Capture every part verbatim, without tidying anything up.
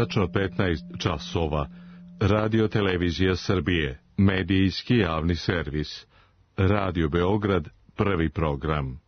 Tačno petnaest časova. Radio Televizija Srbije, medijski javni servis. Radio Beograd, prvi program.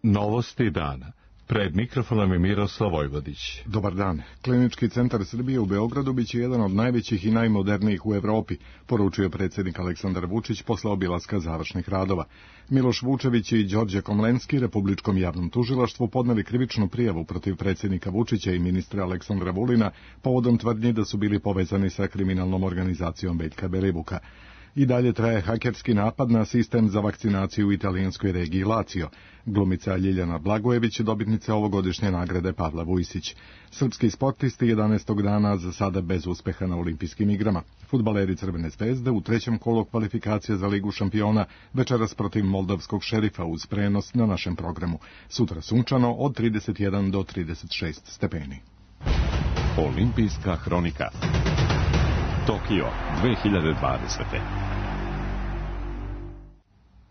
Novosti dana. Pred mikrofonom je Miroslav Vojvodić. Dobar dan. Klinički centar Srbije u Beogradu biće jedan od najvećih i najmodernijih u Evropi, poručio predsjednik Aleksandar Vučić posle obilaska završnih radova. Miloš Vučević i Đorđe Komlenski Republičkom javnom tužilaštvu podneli krivičnu prijavu protiv predsjednika Vučića i ministra Aleksandra Vulina povodom tvrdnji da su bili povezani sa kriminalnom organizacijom Veljka Belivuka. I dalje traje hakerski napad na sistem za vakcinaciju u italijanskoj regiji Lazio. Glumica Ljiljana Blagojević, dobitnica ovogodišnje nagrade Pavla Vujsić. Srpski sportisti jedanaestog dana za sada bez uspeha na olimpijskim igrama. Fudbaleri Crvene zvezde u trećem kolu kvalifikacije za Ligu šampiona večeras protiv moldavskog Šerifa uz prenos na našem programu. Sutra sunčano od trideset jedan do trideset šest stepeni. Olimpijska hronika. Tokio dve hiljade dvadesete.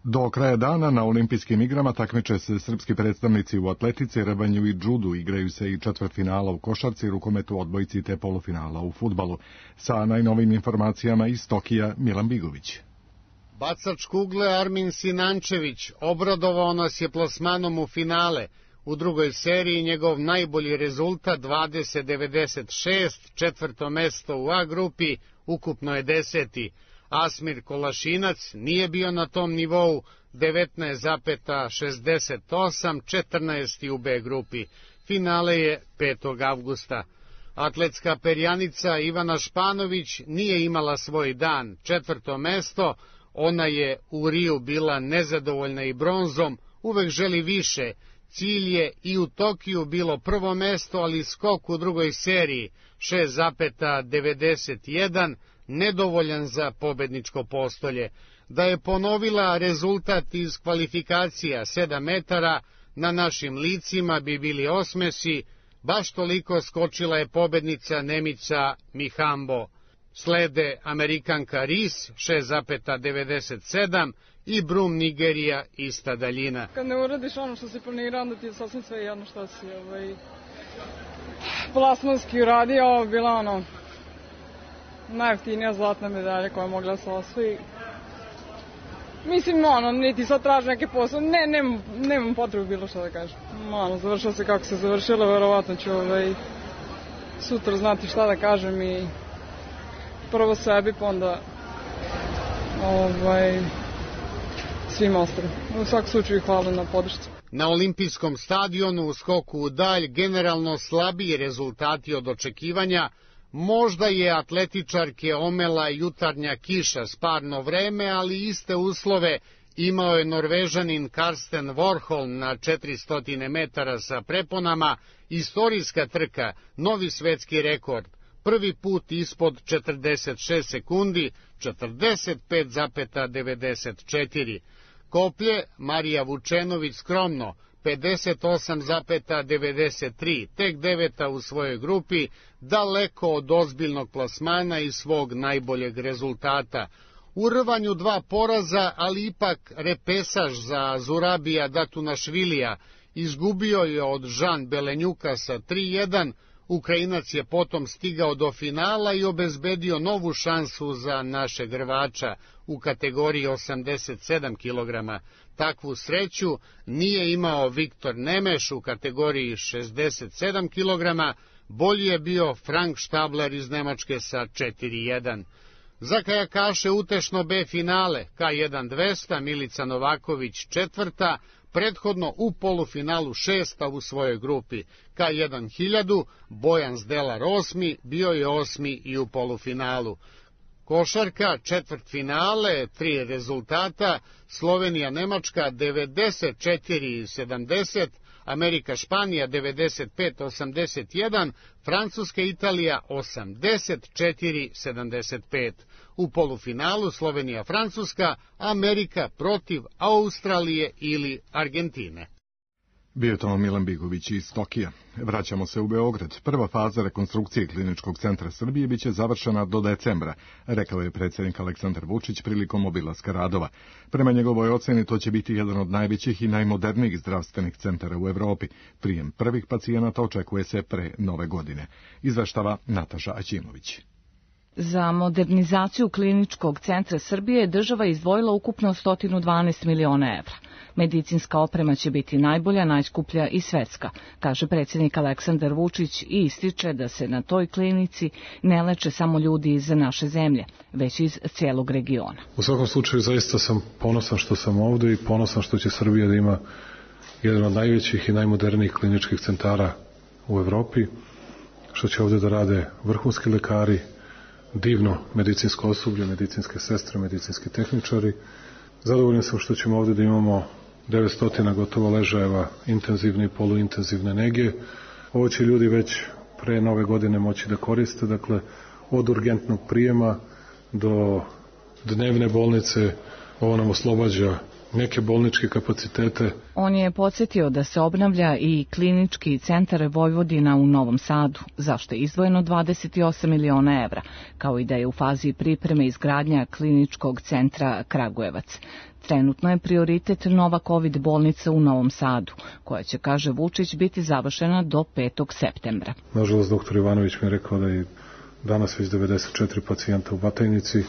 Do kraja dana na olimpijskim igrama takmiče se srpski predstavnici u atletici, rvanju i džudu, igraju se i četvrtfinala u košarci, rukometu, odbojci te polufinala u fudbalu. Sa najnovim informacijama iz Tokija, Milan Bigović. Bacač kugle Armin Sinančević obradovao nas je plasmanom u finale. U drugoj seriji njegov najbolji rezultat dvadeset devedeset šest, četvrto mesto u A grupi, ukupno je deseti. Asmir Kolašinac nije bio na tom nivou, devetnaest šezdeset osam, četrnaesti u B grupi. Finale je petog avgusta. Atletska perjanica Ivana Španović nije imala svoj dan, četvrto mesto. Ona je u Riju bila nezadovoljna i bronzom, uvek želi više. Cilj je i u Tokiju bilo prvo mesto, ali skok u drugoj seriji, šest devedeset jedan, nedovoljan za pobedničko postolje. Da je ponovila rezultat iz kvalifikacija sedam metara, na našim licima bi bili osmesi, baš toliko skočila je pobednica Nemica Mihambo. Slede Amerikanka Ris, šest devedeset sedam, i Brum Nigerija, ista daljina. Kad ne uradiš ono što si planirao, onda ti je sasvim sve jedno što si ovaj, plasmanski uradio. Ovo je bila ono, najjeftinija zlatna medalja koja je mogla se osvoji. Mislim, ono, niti sad traži neke posle, ne, nemam, nemam potrebu bilo što da kažem. Ono, završilo se kako se završilo, verovatno ću ovaj, sutra znati šta da kažem i prvo sebi, pa onda ovaj, svim ostalim. U svakom slučaju hvala na podršci. Na olimpijskom stadionu u skoku u dalj generalno slabiji rezultati od očekivanja. Možda je atletičarke omela jutarnja kiša s parno vreme, ali iste uslove imao je Norvežanin Karsten Warholm na četiristo metara sa preponama, istorijska trka, novi svetski rekord. Prvi put ispod četrdeset šest sekundi, četrdeset pet devedeset četiri. Koplje Marija Vučenović skromno, pedeset osam devedeset tri, tek deveta u svojoj grupi, daleko od ozbiljnog plasmana i svog najboljeg rezultata. U rvanju dva poraza, ali ipak repesaž za Zurabija Datunašvilija, izgubio je od Žan Belenjuka sa tri jedan, Ukrajinac je potom stigao do finala i obezbedio novu šansu za našeg rvača u kategoriji osamdeset sedam kilograma. Takvu sreću nije imao Viktor Nemeš u kategoriji šezdeset sedam kilograma, bolji je bio Frank Štabler iz Nemačke sa četiri jedan. Za kajakaše utešno B finale, K jedan dvesta, Milica Novaković četvrta, prethodno u polufinalu šesta u svojoj grupi. K jedan hiljadu, Bojan Zdelar osmi, bio je osmi i u polufinalu. Košarka, četvrt finale, tri rezultata, Slovenija Nemačka devedeset četiri sedamdeset, Amerika Španija devedeset pet osamdeset jedan, Francuska Italija osamdeset četiri sedamdeset pet. U polufinalu Slovenija Francuska, Amerika protiv Australije ili Argentine. Bio je to Milan Bigović iz Tokija. Vraćamo se u Beograd. Prva faza rekonstrukcije Kliničkog centra Srbije biće završena do decembra, rekao je predsjednik Aleksandar Vučić prilikom obilaska radova. Prema njegovoj oceni to će biti jedan od najvećih i najmodernijih zdravstvenih centara u Evropi. Prijem prvih pacijenata očekuje se pre nove godine. Izveštava Nataša Aćimović. Za modernizaciju Kliničkog centra Srbije država je izdvojila ukupno sto dvanaest miliona evra. Medicinska oprema će biti najbolja, najskuplja i svetska, kaže predsjednik Aleksandar Vučić i ističe da se na toj klinici ne leče samo ljudi iz naše zemlje, već iz cijelog regiona. U svakom slučaju zaista sam ponosan što sam ovdje i ponosan što će Srbija da ima jedan od najvećih i najmodernijih kliničkih centara u Evropi, što će ovdje da rade vrhunski lekari, divno medicinsko osoblje, medicinske sestre, medicinski tehničari. Zadovoljan sam što ćemo ovdje da imamo devetsto gotovo ležajeva intenzivne i poluintenzivne nege. Ovo će ljudi već pre nove godine moći da koriste, dakle od urgentnog prijema do dnevne bolnice. Ovo nam oslobađa neke bolničke kapacitete. On je podsjetio da se obnavlja i Klinički centar Vojvodina u Novom Sadu, zašto je izdvojeno dvadeset osam miliona evra, kao i da je u fazi pripreme izgradnja Kliničkog centra Kragujevac. Trenutno je prioritet nova COVID bolnica u Novom Sadu, koja će, kaže Vučić, biti završena do petog septembra. Nažalost, doktor Ivanović mi je rekao da je danas već devedeset četiri pacijenta u Batajnici,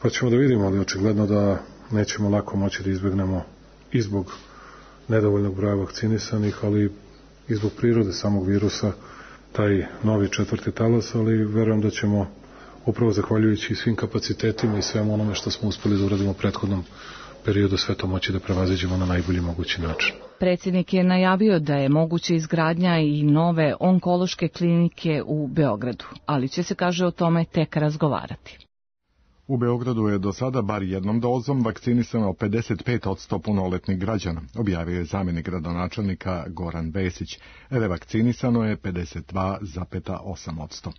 pa ćemo da vidimo, ali očigledno da nećemo lako moći da izbegnemo i zbog nedovoljnog broja vakcinisanih, ali i zbog prirode samog virusa, taj novi četvrti talas, ali verujem da ćemo upravo zahvaljujući svim kapacitetima i svemu onome što smo uspeli da uradimo u prethodnom periodu sve to moći da prevaziđemo na najbolji mogući način. Predsjednik je najavio da je moguće izgradnja i nove onkološke klinike u Beogradu, ali će se, kaže, o tome tek razgovarati. U Beogradu je do sada bar jednom dozom vakcinisano pedeset pet posto punoletnih građana, objavio je zamjenik gradonačelnika Goran Vesić. Revakcinisano je pedeset dva zarez osam posto.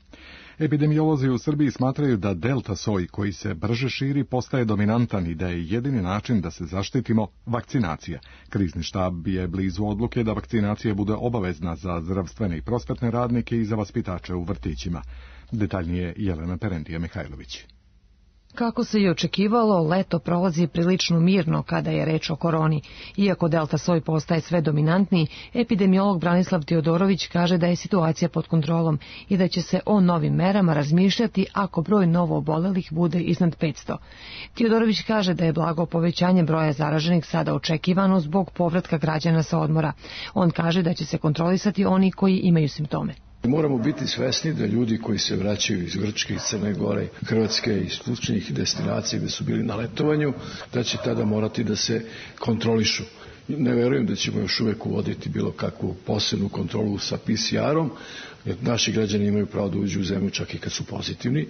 Epidemiolozi u Srbiji smatraju da delta soj koji se brže širi postaje dominantan i da je jedini način da se zaštitimo vakcinacija. Krizni štab je blizu odluke da vakcinacija bude obavezna za zdravstvene i prosvetne radnike i za vaspitače u vrtićima. Detaljnije Jelena Perendija-Mihajlović. Kako se i očekivalo, leto prolazi prilično mirno kada je reč o koroni. Iako delta soj postaje sve dominantniji, epidemiolog Branislav Teodorović kaže da je situacija pod kontrolom i da će se o novim merama razmišljati ako broj novo obolelih bude iznad petsto. Teodorović kaže da je blago povećanje broja zaraženih sada očekivano zbog povratka građana sa odmora. On kaže da će se kontrolisati oni koji imaju simptome. Moramo biti svesni da ljudi koji se vraćaju iz Grčke, iz Crne Gore, Hrvatske i sličnih destinacija gde su bili na letovanju, da će tada morati da se kontrolišu. Ne verujem da ćemo još uvek uvoditi bilo kakvu posebnu kontrolu sa P C R-om, jer naši građani imaju pravo da uđu u zemlju čak i kad su pozitivni,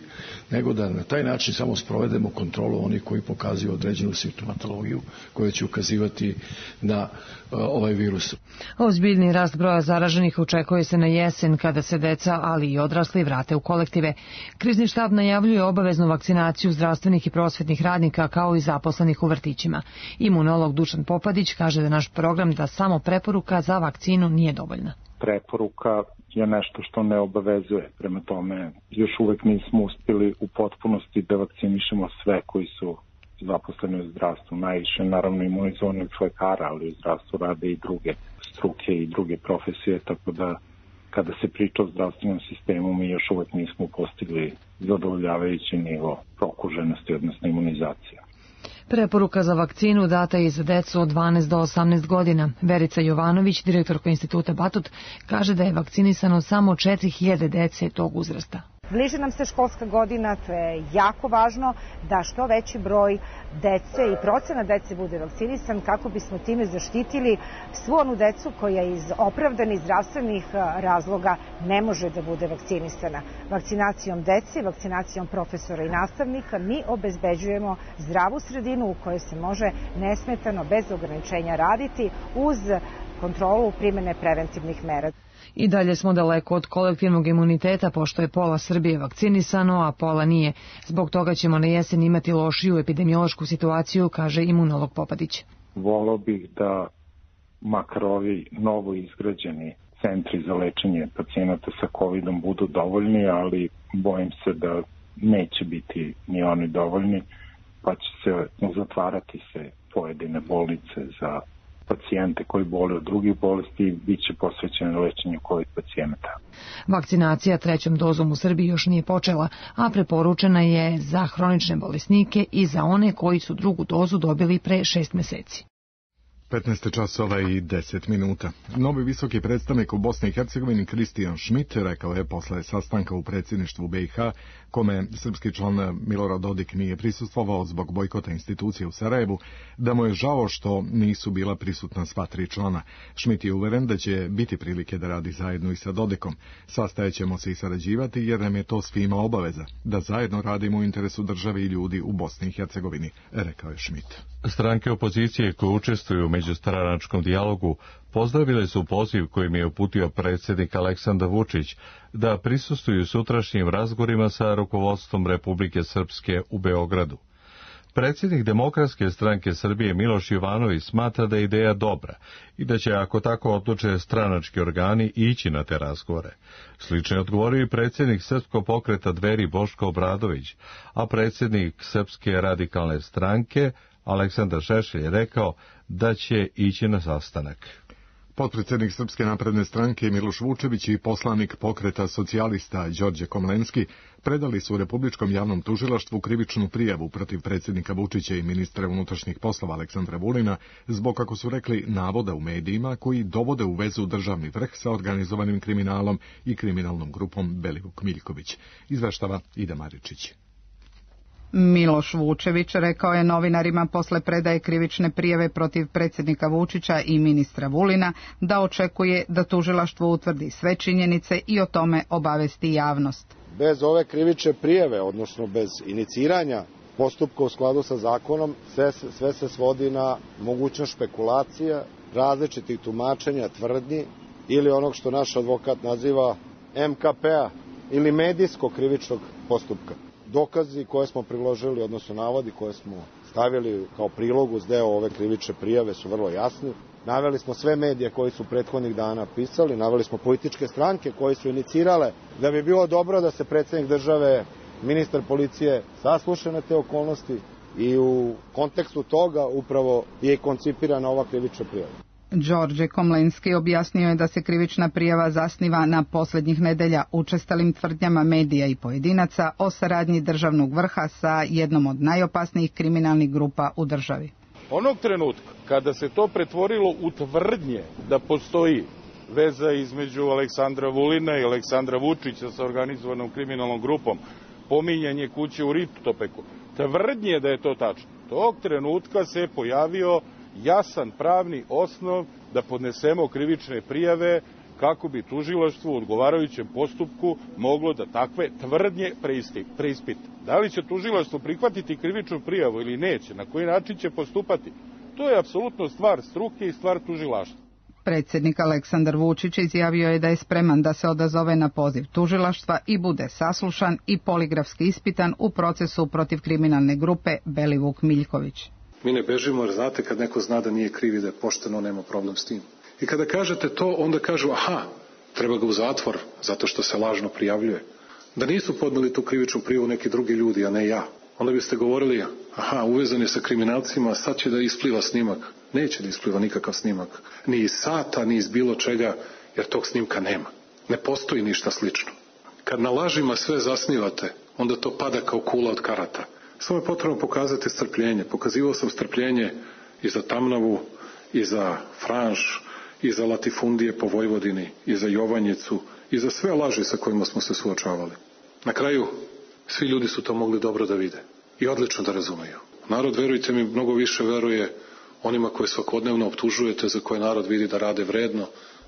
nego da na taj način samo sprovedemo kontrolu onih koji pokazuju određenu simptomatologiju koja će ukazivati na uh, ovaj virus. Ozbiljni rast broja zaraženih očekuje se na jesen kada se deca, ali i odrasli vrate u kolektive. Krizni štab najavljuje obaveznu vakcinaciju zdravstvenih i prosvetnih radnika kao i zaposlenih u vrtićima. Imunolog Dušan Popadić kaže da naš program da samo preporuka za vakcinu nije dovoljna. Preporuka je nešto što ne obavezuje. Prema tome, još uvek nismo uspjeli u potpunosti da vakcinišemo sve koji su zaposleni u zdravstvu. Najviše, naravno, imunizovanih lekara, ali u zdravstvu rade i druge struke i druge profesije, tako da kada se priča o zdravstvenom sistemu, mi još uvek nismo postigli zadovoljavajući nivo prokuženosti, odnosno imunizacija. Preporuka za vakcinu data je za decu od dvanaest do osamnaest godina. Verica Jovanović, direktorka Instituta Batut, kaže da je vakcinisano samo četiri hiljade dece tog uzrasta. Bliže nam se školska godina, to je jako važno da što veći broj dece i procena dece bude vakcinisan kako bismo time zaštitili svu onu decu koja iz opravdanih zdravstvenih razloga ne može da bude vakcinisana. Vakcinacijom dece, vakcinacijom profesora i nastavnika mi obezbeđujemo zdravu sredinu u kojoj se može nesmetano, bez ograničenja raditi uz kontrolu primene preventivnih mera. I dalje smo daleko od kolektivnog imuniteta, pošto je pola Srbije vakcinisano, a pola nije. Zbog toga ćemo na jesen imati lošiju epidemiološku situaciju, kaže imunolog Popadić. Voleo bih da makar ovi novo izgrađeni centri za lečenje pacijenata sa kovidom budu dovoljni, ali bojim se da neće biti ni oni dovoljni, pa će se zatvarati se pojedine bolnice za pacijente koji bole od drugih bolesti i bit će posvećeno lečenju covid pacijenata. Vakcinacija trećom dozom u Srbiji još nije počela, a preporučena je za hronične bolesnike i za one koji su drugu dozu dobili pre šest meseci. petnaest časova i deset minuta. Novi visoki predstavnik u Bosni i Hercegovini Kristijan Schmidt rekao je posle sastanka u predsjedništvu B i H, kome srpski član Milorad Dodik nije prisustvovao zbog bojkota institucije u Sarajevu, da mu je žao što nisu bila prisutna sva tri člana. Schmidt je uveren da će biti prilike da radi zajedno i sa Dodikom. Sastajećemo se i sarađivati jer nam je to svima obaveza, da zajedno radimo u interesu države i ljudi u Bosni i Hercegovini, rekao je Schmidt. Stranke opozicije koje učestvuju u međustranačkom dijalogu pozdravile su poziv kojim je uputio predsjednik Aleksandar Vučić da prisustvuju sutrašnjim razgovorima sa rukovodstvom Republike Srpske u Beogradu. Predsjednik Demokratske stranke Srbije Miloš Jovanović smatra da je ideja dobra i da će, ako tako odluče stranački organi, ići na te razgovore. Slično je odgovorio i predsjednik Srpskog pokreta Dveri Boško Obradović, a predsjednik Srpske radikalne stranke Aleksandar Šešelj je rekao da će ići na sastanak. Potpredsjednik Srpske napredne stranke Miloš Vučević i poslanik pokreta socijalista Đorđe Komlenski predali su u Republičkom javnom tužilaštvu krivičnu prijavu protiv predsjednika Vučića i ministra unutrašnjih poslova Aleksandra Vulina zbog, kako su rekli, navoda u medijima koji dovode u vezu državni vrh sa organizovanim kriminalom i kriminalnom grupom Belivuk Miljković. Izveštava Ida Maričić. Miloš Vučević rekao je novinarima posle predaje krivične prijave protiv predsjednika Vučića i ministra Vulina da očekuje da tužilaštvo utvrdi sve činjenice i o tome obavesti javnost. Bez ove krivične prijave, odnosno bez iniciranja postupka u skladu sa zakonom, sve, sve se svodi na mogućnost špekulacija, različitih tumačenja, tvrdnji ili onog što naš advokat naziva M K P-a ili medijskog krivičnog postupka. Dokazi koje smo priložili, odnosno navodi koje smo stavili kao prilog uz deo ove krivične prijave su vrlo jasni. Naveli smo sve medije koji su prethodnih dana pisali, naveli smo političke stranke koje su inicirale da bi bilo dobro da se predsjednik države, ministar policije sasluša na te okolnosti i u kontekstu toga upravo je koncipirana ova krivična prijava. Đorđe Komlenski objasnio je da se krivična prijava zasniva na posljednjih nedelja učestalim tvrdnjama medija i pojedinaca o saradnji državnog vrha sa jednom od najopasnijih kriminalnih grupa u državi. Onog trenutka kada se to pretvorilo u tvrdnje da postoji veza između Aleksandra Vulina i Aleksandra Vučića sa organizovanom kriminalnom grupom, pominjanje kuće u Ritopeku, tvrdnje da je to tačno, tog trenutka se pojavio jasan pravni osnov da podnesemo krivične prijave kako bi tužilaštvo u odgovarajućem postupku moglo da takve tvrdnje preispita. Da li će tužilaštvo prihvatiti krivičnu prijavu ili neće, na koji način će postupati, to je apsolutno stvar struke i stvar tužilaštva. Predsjednik Aleksandar Vučić izjavio je da je spreman da se odazove na poziv tužilaštva i bude saslušan i poligrafski ispitan u procesu protiv kriminalne grupe Belivuk Miljković. Mi ne bežimo jer znate kad neko zna da nije kriv i da je pošteno, nema problem s tim. I kada kažete to, onda kažu aha, treba ga u zatvor zato što se lažno prijavljuje. Da nisu podneli tu krivičnu prijavu neki drugi ljudi, a ne ja. Onda biste govorili, aha, uvezan je sa kriminalcima, sad će da ispliva snimak. Neće da ispliva nikakav snimak. Ni iz sata, ni iz bilo čega, jer tog snimka nema. Ne postoji ništa slično. Kad na lažima sve zasnivate, onda to pada kao kula od karata. Samo je potrebno pokazati strpljenje. Pokazivao sam strpljenje i za Tamnavu, i za Franš, i za latifundije po Vojvodini, i za Jovanjicu, i za sve laži sa kojima smo se suočavali. Na kraju, svi ljudi su to mogli dobro da vide i odlično da razumeju. Narod, verujte mi, mnogo više veruje onima koje svakodnevno optužujete, za koje narod vidi da rade vredno,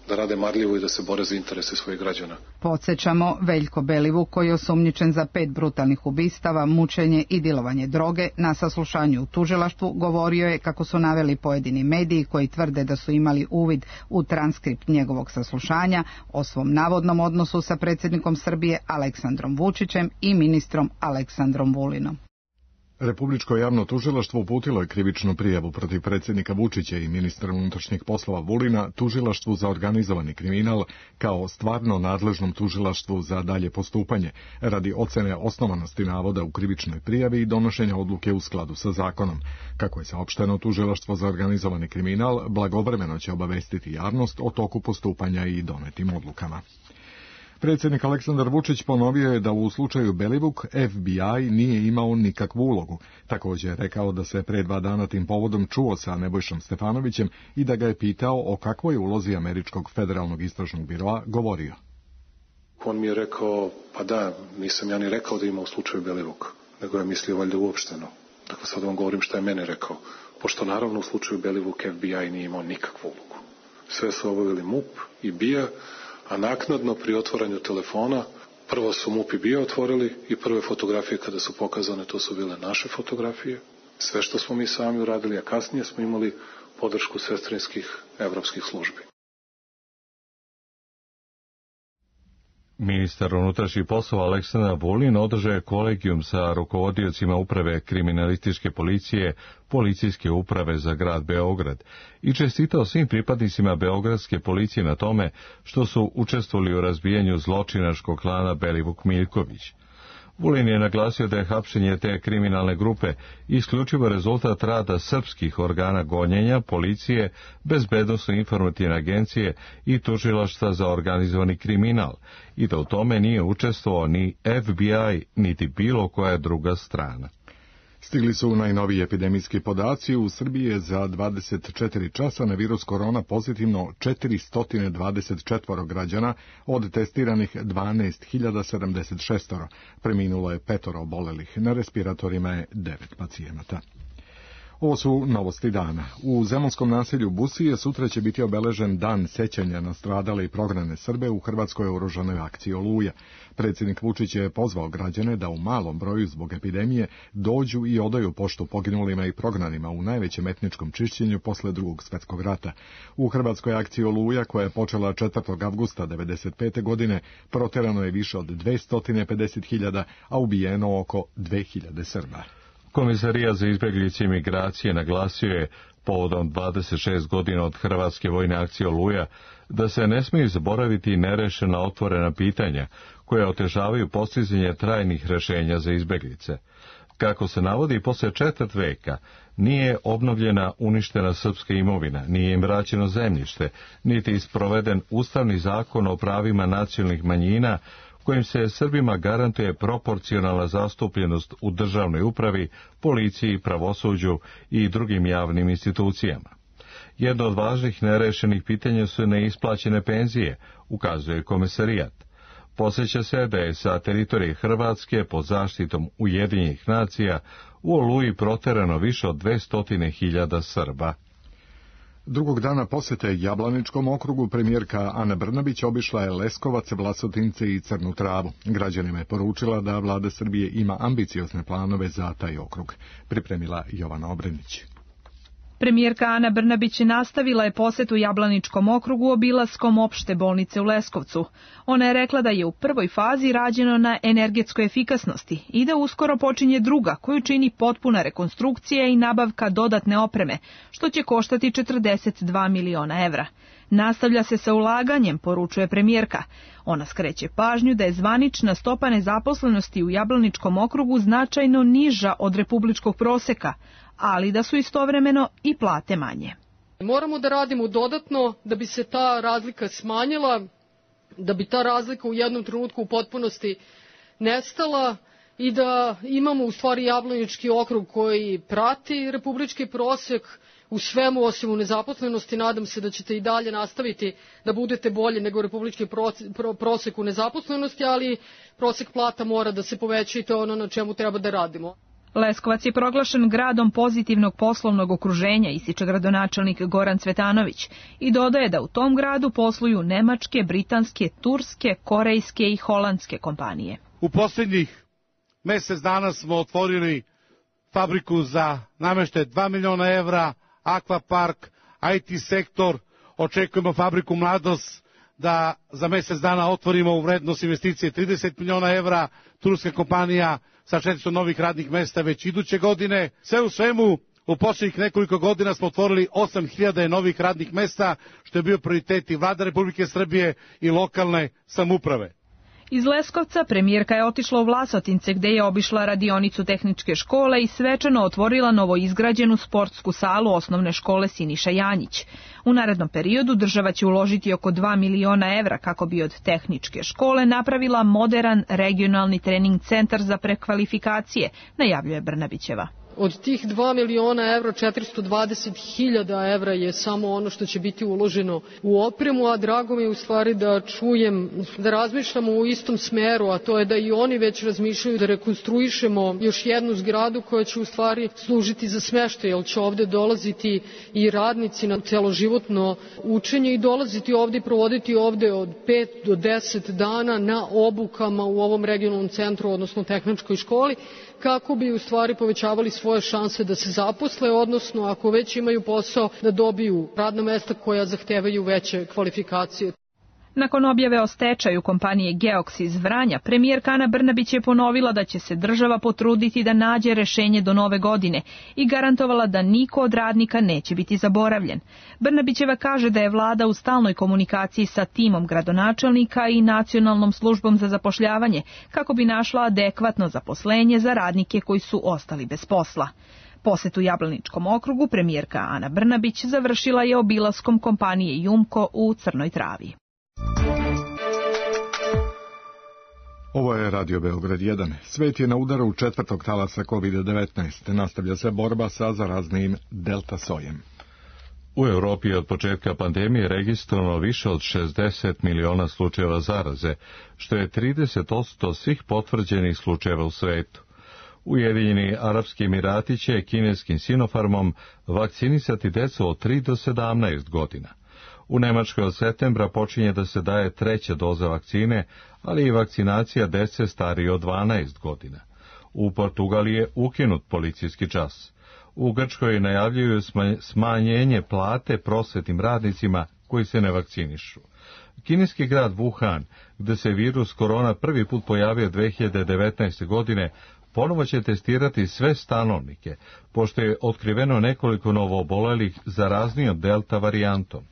da rade marljivo i da se bore za interese svojih građana. Podsjećamo, Veljko Belivuk, koji je osumnjičen za pet brutalnih ubistava, mučenje i dilovanje droge, na saslušanju u tužilaštvu govorio je, kako su naveli pojedini mediji koji tvrde da su imali uvid u transkript njegovog saslušanja, o svom navodnom odnosu sa predsjednikom Srbije Aleksandrom Vučićem i ministrom Aleksandrom Vulinom. Republičko javno tužilaštvo uputilo je krivičnu prijavu protiv predsjednika Vučića i ministra unutrašnjih poslova Vulina tužilaštvu za organizovani kriminal kao stvarno nadležnom tužilaštvu za dalje postupanje radi ocene osnovanosti navoda u krivičnoj prijavi i donošenja odluke u skladu sa zakonom. Kako je saopšteno, tužilaštvo za organizovani kriminal blagovremeno će obavestiti javnost o toku postupanja i donetim odlukama. Predsjednik Aleksandar Vučić ponovio je da u slučaju Belivuk F B I nije imao nikakvu ulogu. Također je rekao da se pre dva dana tim povodom čuo sa Nebojšom Stefanovićem i da ga je pitao o kakvoj ulozi Američkog federalnog istražnog biroa govorio. On mi je rekao, pa da, nisam ja ni rekao da ima u slučaju Belivuk, nego je mislio valjda uopšteno. Dakle, sad vam govorim šta je mene rekao, pošto naravno u slučaju Belivuk F B I nije imao nikakvu ulogu. Sve su obavili M U P i B I A, a naknadno pri otvaranju telefona prvo su M U P i B I A otvorili i prve fotografije kada su pokazane, to su bile naše fotografije. Sve što smo mi sami uradili, a kasnije smo imali podršku sestrinskih evropskih službi. Ministar unutrašnjih poslova Aleksandar Vulin održao je kolegijum sa rukovodiocima uprave kriminalističke policije, policijske uprave za grad Beograd i čestitao svim pripadnicima beogradske policije na tome što su učestvovali u razbijanju zločinačkog klana Belivuk-Miljković. Vulin je naglasio da je hapšenje te kriminalne grupe isključivo rezultat rada srpskih organa gonjenja, policije, bezbednosno informativne agencije i tužilaštva za organizovani kriminal i da u tome nije učestvovao ni F B I niti bilo koja druga strana. Stigli su najnoviji epidemijski podaci. U Srbiji je za dvadeset četiri časa na virus korona pozitivno četiristo dvadeset četiri građana, od testiranih dvanaest hiljada sedamdeset šest. Preminulo je petoro obolelih, na respiratorima je devet pacijenata. Ovo su novosti dana. U zemunskom naselju Busije sutra će biti obeležen dan sećanja na stradale i prognane Srbe u hrvatskoj oružanoj akciji Oluja. Predsjednik Vučić je pozvao građane da u malom broju zbog epidemije dođu i odaju poštu poginulima i prognanima u najvećem etničkom čišćenju posle drugog svjetskog rata. U hrvatskoj akciji Oluja, koja je počela četvrtog avgusta devedeset pete. godine, proterano je više od dvesta pedeset hiljada, a ubijeno oko dve hiljade Srba. Komisarija za izbjeglice i migracije naglasio je povodom dvadeset šest godina od hrvatske vojne akcije Oluja da se ne smiju zaboraviti nerešena otvorena pitanja koja otežavaju postizanje trajnih rješenja za izbjeglice. Kako se navodi, posle četvrt veka nije obnovljena uništena srpska imovina, nije im vraćeno zemljište, niti isproveden ustavni zakon o pravima nacionalnih manjina kojim se Srbima garantuje proporcionalna zastupljenost u državnoj upravi, policiji, pravosuđu i drugim javnim institucijama. Jedno od važnih nerešenih pitanja su neisplaćene penzije, ukazuje komesarijat. Podsjeća se da je sa teritorije Hrvatske pod zaštitom Ujedinjenih nacija u Oluji proterano više od dvesta hiljada Srba. Drugog dana posjete Jablaničkom okrugu premijerka Ana Brnabić obišla je Leskovac, Vlasotince i Crnu Travu. Građanima je poručila da vlada Srbije ima ambiciozne planove za taj okrug. Pripremila Jovana Obrenić. Premijerka Ana Brnabić nastavila je posjetu Jablaničkom okrugu obilaskom opšte bolnice u Leskovcu. Ona je rekla da je u prvoj fazi rađeno na energetskoj efikasnosti i da uskoro počinje druga koju čini potpuna rekonstrukcija i nabavka dodatne opreme, što će koštati četrdeset dva miliona evra. Nastavlja se sa ulaganjem, poručuje premijerka. Ona skreće pažnju da je zvanična stopa nezaposlenosti u Jablaničkom okrugu značajno niža od republičkog proseka, ali da su istovremeno i plate manje. Moramo da radimo dodatno da bi se ta razlika smanjila, da bi ta razlika u jednom trenutku u potpunosti nestala i da imamo u stvari Jablanički okrug koji prati republički prosek u svemu osim u nezaposlenosti. Nadam se da ćete i dalje nastaviti da budete bolji nego republički prosek u nezaposlenosti, ali prosek plata mora da se poveća i to je ono na čemu treba da radimo. Leskovac je proglašen gradom pozitivnog poslovnog okruženja, ističe gradonačelnik Goran Cvetanović i dodaje da u tom gradu posluju nemačke, britanske, turske, korejske i holandske kompanije. U posljednjih mjesec dana smo otvorili fabriku za namještaj dva miliona evra, akvapark, I T sektor, očekujemo fabriku Mladost da za mjesec dana otvorimo u vrednost investicije trideset miliona evra, turska kompanija sa četiristo novih radnih mesta već iduće godine. Sve u svemu, u posljednjih nekoliko godina smo otvorili osam hiljada novih radnih mesta, što je bio prioritet i Vlada Republike Srbije i lokalne samouprave. Iz Leskovca premijerka je otišla u Vlasotince gde je obišla radionicu tehničke škole i svečano otvorila novoizgrađenu sportsku salu osnovne škole Siniša Janjić. U narednom periodu država će uložiti oko dva miliona evra kako bi od tehničke škole napravila moderan regionalni trening centar za prekvalifikacije, najavljuje Brnabićeva. Od tih dva miliona evra, četiristo dvadeset hiljada evra je samo ono što će biti uloženo u opremu, a drago mi je u stvari da čujem, da razmišljamo u istom smeru, a to je da i oni već razmišljaju da rekonstruišemo još jednu zgradu koja će u stvari služiti za smeštaj, jer će ovde dolaziti i radnici na celoživotno učenje i dolaziti ovde i provoditi ovde od pet do deset dana na obukama u ovom regionalnom centru, odnosno tehničkoj školi, kako bi u stvari povećavali svoje šanse da se zaposle, odnosno ako već imaju posao da dobiju radna mesta koja zahtevaju veće kvalifikacije. Nakon objave o stečaju kompanije Geoks iz Vranja, premijerka Ana Brnabić je ponovila da će se država potruditi da nađe rešenje do nove godine i garantovala da niko od radnika neće biti zaboravljen. Brnabićeva kaže da je vlada u stalnoj komunikaciji sa timom gradonačelnika i Nacionalnom službom za zapošljavanje kako bi našla adekvatno zaposlenje za radnike koji su ostali bez posla. Posetu Jablaničkom okrugu premijerka Ana Brnabić završila je obilaskom kompanije Jumko u Crnoj Travi. Ovo je Radio Beograd jedan. Svet je na udaru četvrtog talasa kovid devetnaest. Nastavlja se borba sa zaraznim delta sojem. U Europi je od početka pandemije registrovano više od šezdeset miliona slučajeva zaraze, što je trideset posto svih potvrđenih slučajeva u svetu. Ujedinjeni Arapski Emirati će kineskim Sinopharmom vakcinisati decu od tri do sedamnaest godina. U Nemačkoj od septembra počinje da se daje treća doza vakcine, ali i vakcinacija dece starije od dvanaest godina. U Portugaliji je ukinut policijski čas. U Grčkoj najavljuju smanjenje plate prosvetnim radnicima koji se ne vakcinišu. Kineski grad Wuhan, gde se virus korona prvi put pojavio dve hiljade devetnaeste. godine, ponovo će testirati sve stanovnike, pošto je otkriveno nekoliko novoobolelih zaraznijom delta varijantom.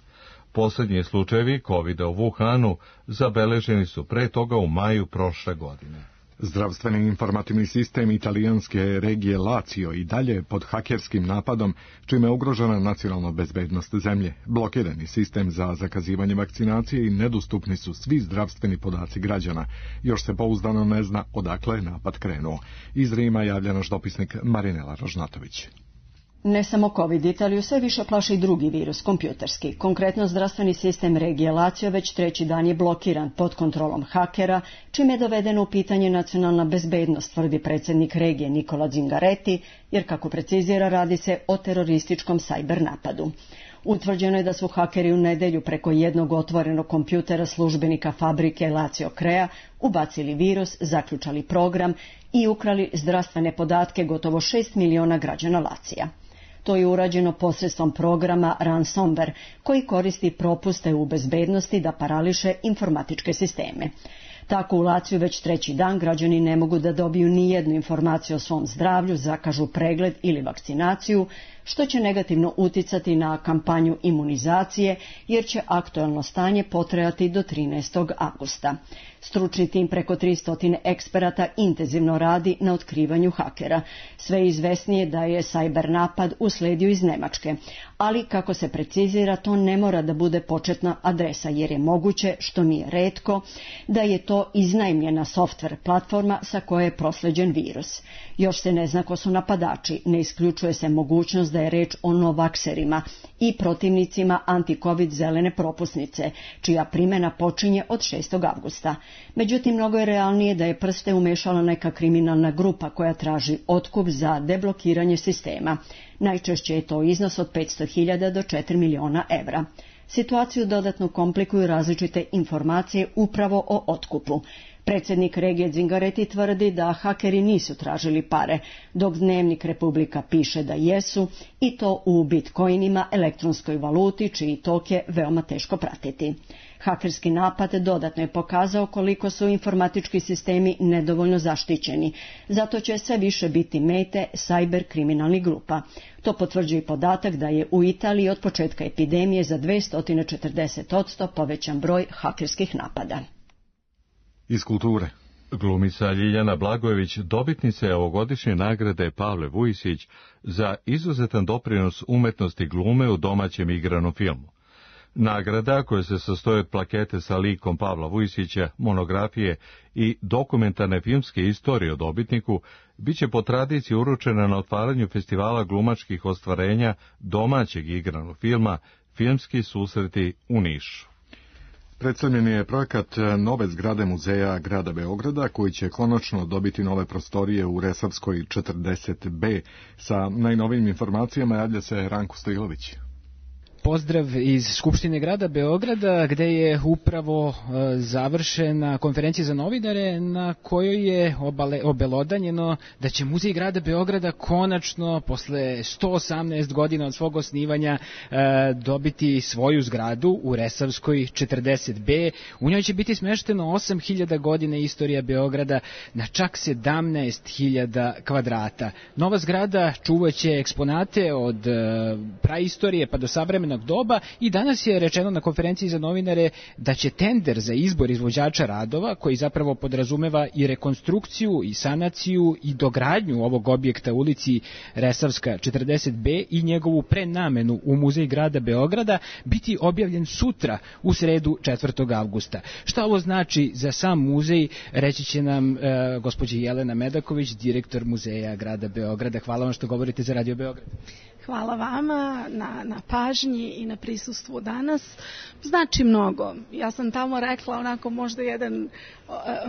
Posljednji slučajevi kovida u Wuhanu zabeleženi su pre toga u maju prošle godine. Zdravstveni informativni sistem italijanske regije Lazio i dalje pod hakerskim napadom, čime je ugrožena nacionalna bezbednost zemlje. Blokirani sistem za zakazivanje vakcinacije i nedostupni su svi zdravstveni podaci građana. Još se pouzdano ne zna odakle je napad krenuo. Iz Rima javlja naš dopisnik Marinela Rožnatović. Ne samo COVID, Italiju sve više plaši i drugi virus, kompjuterski. Konkretno, zdravstveni sistem regije Lazio već treći dan je blokiran pod kontrolom hakera, čime je dovedeno u pitanje nacionalna bezbednost, tvrdi predsjednik regije Nicola Zingaretti, jer kako precizira radi se o terorističkom sajber napadu. Utvrđeno je da su hakeri u nedjelju preko jednog otvorenog kompjutera službenika fabrike Lazio Crea ubacili virus, zaključali program i ukrali zdravstvene podatke gotovo šest miliona građana Lazija. To je urađeno posredstvom programa Ransomware, koji koristi propuste u bezbednosti da parališe informatičke sisteme. Tako u Laciju već treći dan građani ne mogu da dobiju ni jednu informaciju o svom zdravlju, zakažu pregled ili vakcinaciju, što će negativno uticati na kampanju imunizacije, jer će aktuelno stanje potrajati do trinaestog avgusta. Stručni tim preko tristo eksperata intenzivno radi na otkrivanju hakera. Sve izvesnije da je sajber napad usledio iz Nemačke, ali kako se precizira, to ne mora da bude početna adresa, jer je moguće, što nije retko, da je to iznajmljena softver platforma sa koje je prosleđen virus. Još se ne zna ko su napadači, ne isključuje se mogućnost da je reč o novakserima i protivnicima anti-covid zelene propusnice, čija primjena počinje od šestog avgusta. Međutim, mnogo je realnije da je prste umešala neka kriminalna grupa koja traži otkup za deblokiranje sistema. Najčešće je to iznos od petsto hiljada do četiri miliona evra. Situaciju dodatno komplikuju različite informacije upravo o otkupu. Predsjednik regije Zingareti tvrdi da hakeri nisu tražili pare, dok Dnevnik Republika piše da jesu, i to u bitcoinima, elektronskoj valuti, čiji tok je veoma teško pratiti. Hakerski napad dodatno je pokazao koliko su informatički sistemi nedovoljno zaštićeni, zato će sve više biti mete sajber kriminalnih grupa. To potvrđuje i podatak da je u Italiji od početka epidemije za dvesta četrdeset posto povećan broj hakerskih napada. Iz kulture. Glumica Ljiljana Blagojević dobitnica je ovogodišnje nagrade Pavle Vujisić za izuzetan doprinos umetnosti glume u domaćem igranom filmu. Nagrada, koja se sastoji od plakete sa likom Pavla Vujisića, monografije i dokumentarne filmske istorije o dobitniku, bit će po tradiciji uručena na otvaranju festivala glumačkih ostvarenja domaćeg igranog filma Filmski susreti u Nišu. Predstavljen je projekat nove zgrade muzeja grada Beograda, koji će konačno dobiti nove prostorije u Resavskoj četrdeset B. Sa najnovijim informacijama javlja se Ranko Stojilović. Pozdrav iz Skupštine grada Beograda, gde je upravo završena konferencija za novinare na kojoj je obale, obelodanjeno da će Muzej grada Beograda konačno posle sto osamnaest godina od svog osnivanja dobiti svoju zgradu u Resavskoj četrdeset B. U njoj će biti smešteno osam hiljada godina istorija Beograda na čak sedamnaest hiljada kvadrata. Nova zgrada čuvaće eksponate od praistorije pa do savremena doba i danas je rečeno na konferenciji za novinare da će tender za izbor izvođača radova, koji zapravo podrazumeva i rekonstrukciju i sanaciju i dogradnju ovog objekta u ulici Resavska četrdeset B i njegovu prenamenu u Muzej grada Beograda, biti objavljen sutra u sredu četvrtog avgusta. Šta ovo znači za sam muzej, reći će nam e, gospođa Jelena Medaković, direktor Muzeja grada Beograda. Hvala vam što govorite za Radio Beograd. Hvala vama na, na pažnji i na prisustvu danas. Znači mnogo. Ja sam tamo rekla onako možda jedan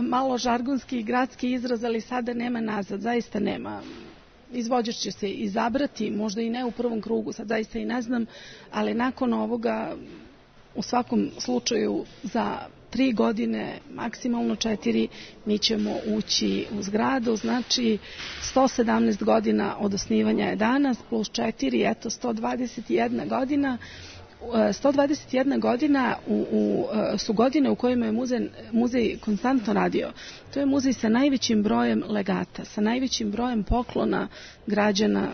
malo žargonski gradski izraz, ali sada nema nazad, zaista nema. Izvođač će se izabrati, možda i ne u prvom krugu, sad zaista i ne znam, ali nakon ovoga u svakom slučaju za tri godine, maksimalno četiri, mi ćemo ući u zgradu, znači sto sedamnaest godina od osnivanja je danas, plus četiri, eto sto dvadeset jedna godina. sto dvadeset jedna godina u, u, su godine u kojima je muzej, muzej konstantno radio. To je muzej sa najvećim brojem legata, sa najvećim brojem poklona građana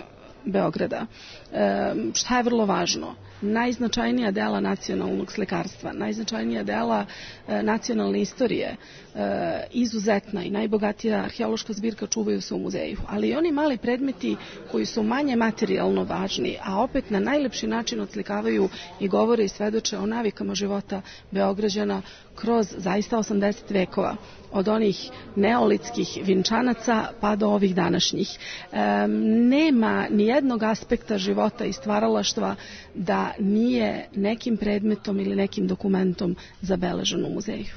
Beograda. E, šta je vrlo važno? Najznačajnija dela nacionalnog slikarstva, najznačajnija dela e, nacionalne istorije, e, izuzetna i najbogatija arheološka zbirka čuvaju se u muzeju. Ali i oni mali predmeti koji su manje materijalno važni, a opet na najlepši način odslikavaju i govore i svedoče o navikama života Beograđana kroz zaista osamdeset vekova. Od onih neolitskih vinčanaca pa do ovih današnjih. E, nema ni jednog aspekta života i stvaralaštva da nije nekim predmetom ili nekim dokumentom zabeležen u muzeju.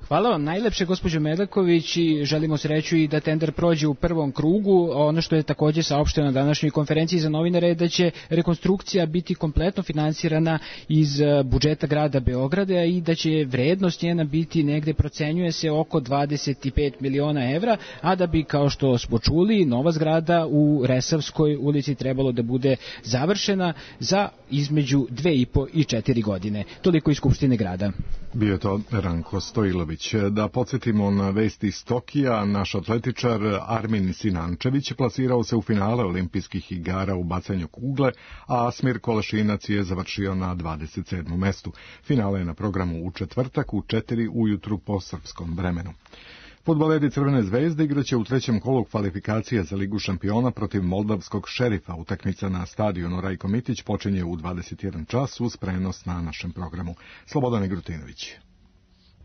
Hvala vam najlepše, gospođo Medaković, i želimo sreću i da tender prođe u prvom krugu. Ono što je također saopšteno na današnjoj konferenciji za novinare je da će rekonstrukcija biti kompletno finansirana iz budžeta grada Beograda i da će vrednost njena biti negde, procenjuje se, oko dvadeset pet miliona evra, a da bi, kao što smo čuli, nova zgrada u Resavskoj ulici trebalo da bude završena za između dve i po i četiri godine. Toliko iz Skupštine grada. Bio je to Ranko Stojilović. Da podsjetimo na vesti iz Tokija, naš atletičar Armin Sinančević plasirao se u finale olimpijskih igara u bacanju kugle, a Asmir Kolašinac je završio na dvadeset sedmom mestu. Finale je na programu u četvrtak u četiri ujutru po srpskom vremenu. Fudbaleri Crvene zvezde igraće u trećem kolu kvalifikacija za Ligu šampiona protiv moldavskog Šerifa. Utakmica na stadionu Rajko Mitić počinje u dvadeset jedan čas uz prenos na našem programu. Slobodan Igrutinović.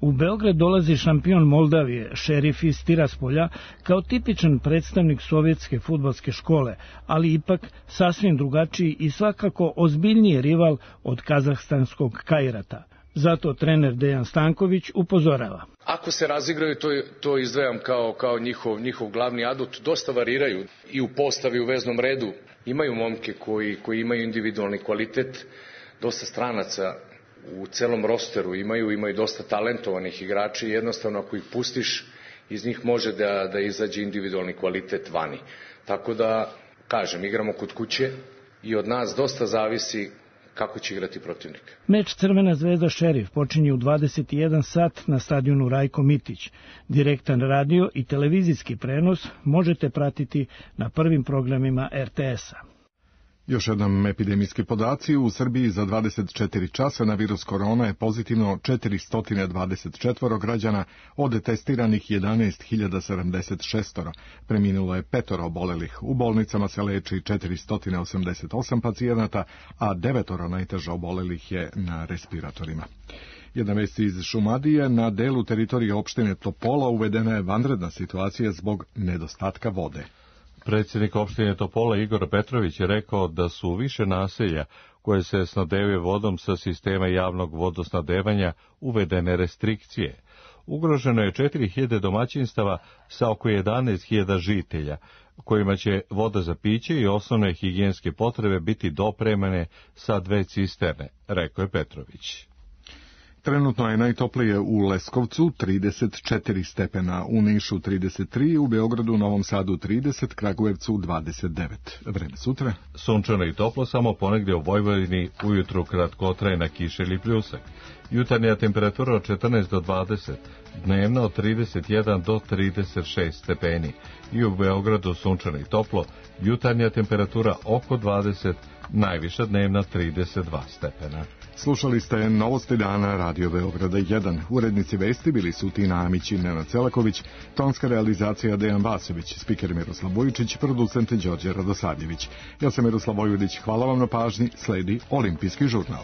U Beograd dolazi šampion Moldavije, Šerif iz Tiraspolja, kao tipičan predstavnik sovjetske fudbalske škole, ali ipak sasvim drugačiji i svakako ozbiljniji rival od kazahstanskog Kajrata. Zato trener Dejan Stanković upozorava. Ako se razigraju, to, to izdvajam kao, kao njihov, njihov glavni adut. Dosta variraju i u postavi, u veznom redu. Imaju momke koji, koji imaju individualni kvalitet, dosta stranaca u celom rosteru imaju, imaju dosta talentovanih igrača i jednostavno ako ih pustiš iz njih može da, da izađe individualni kvalitet vani. Tako da, kažem, igramo kod kuće i od nas dosta zavisi kako će igrati protivnik. Meč Crvena zvezda Šerif počinje u dvadeset i jedan sat na stadionu Rajko Mitić. Direktan radio i televizijski prenos možete pratiti na prvim programima er te es-a. Još jednom epidemijski podaci. U Srbiji za dvadeset četiri časa na virus korona je pozitivno četiristo dvadeset četiri građana, od testiranih jedanaest hiljada sedamdeset šest. Preminulo je petoro obolelih. U bolnicama se leči četiristo osamdeset osam pacijenata, a devetoro najteže obolelih je na respiratorima. Jedna vest iz Šumadije: na delu teritorije opštine Topola uvedena je vanredna situacija zbog nedostatka vode. Predsjednik opštine Topola Igor Petrović je rekao da su u više naselja koje se snabdevaju vodom sa sistema javnog vodosnabdevanja uvedene restrikcije. Ugroženo je četiri hiljade domaćinstava sa oko jedanaest hiljada žitelja, kojima će voda za piće i osnovne higijenske potrebe biti dopremane sa dve cisterne, rekao je Petrović. Trenutno je najtoplije u Leskovcu trideset četiri stepena, u Nišu trideset tri, u Beogradu, Novom Sadu trideset, Kragujevcu dvadeset devet. Vreme sutra? Sunčano i toplo, samo ponegdje u Vojvodini ujutru kratkotrajna kiša ili pljusak. Jutarnja temperatura od četrnaest do dvadeset, dnevna od trideset jedan do trideset šest stepeni. I u Beogradu sunčano i toplo, jutarnja temperatura oko dvadeset, najviša dnevna trideset dva stepena. Slušali ste Novosti dana Radio Beograda jedan. Urednici vesti bili su Tina Amić i Nenad Celaković, tonska realizacija Dejan Vasović, spiker Miroslav Vujičić, producent Đorđe Radosavljević. Ja sam Miroslav Vojvodić, hvala vam na pažnji, sledi Olimpijski žurnal.